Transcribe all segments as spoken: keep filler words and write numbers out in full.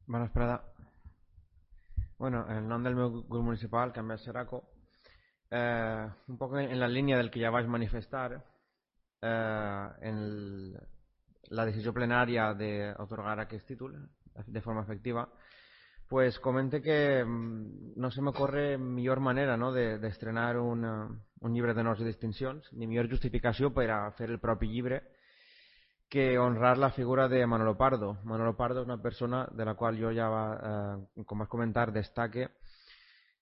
Bona vesprada. Bueno, el nom del meu grup municipal, Canviar Seraco, eh, un poc en la línia del que ja vaig manifestar eh, en el, la decisió plenària d'atorgar aquest títol de forma efectiva, pues comente que mm, no se m'ocorre millor manera, no, de- d'estrenar de, un, eh, un llibre d'honors i distincions, ni millor justificació per a fer el propi llibre que honrar la figura de Manolo Pardo. Manolo Pardo és una persona de la qual jo ja, va, eh, com vas comentar, destaque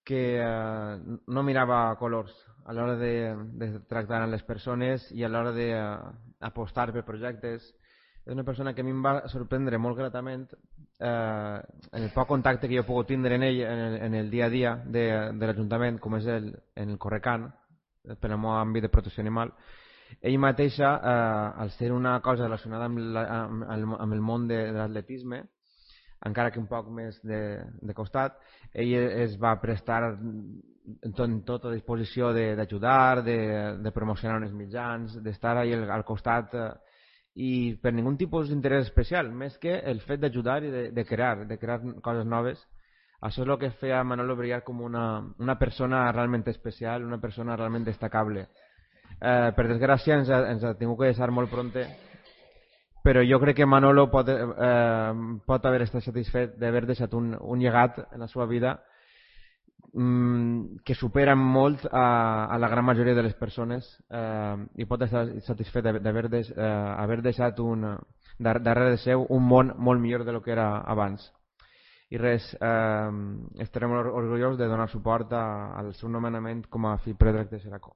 que eh, no mirava colors a l'hora de, de tractar amb les persones i a l'hora d'apostar per projectes. És una persona que a mi em va sorprendre molt gratament eh, en el poc contacte que jo he pogut tindre en ell en el, en el dia a dia de, de l'Ajuntament, com és el, en el Correcan, per el meu àmbit de protecció animal. Ell mateixa, eh, al ser una cosa relacionada amb, la, amb, el- amb el món de, de l'atletisme, encara que un poc més de, de costat, ell es va prestar en tot, en tota disposició de- d'ajudar, de, de promocionar uns mitjans, d'estar ahí al, al costat eh, i per ningun tipus d'interès especial, més que el fet d'ajudar i de, de crear, de crear coses noves. Això és el que feia Manolo brillar com una, una persona realment especial, una persona realment destacable. Eh, per desgràcia ens ha, ens ha tingut que deixar molt pronte, però jo crec que Manolo pot, eh, pot haver estat satisfet d'haver deixat un, un llegat en la seva vida mm, que supera molt a, a la gran majoria de les persones eh, i pot estar satisfet d'haver deix, eh, haver deixat un, dar, darrere de seu un món molt millor de lo que era abans. I res, eh, estarem orgullosos de donar suport a, al seu nomenament com a fill predrecte de Seraco.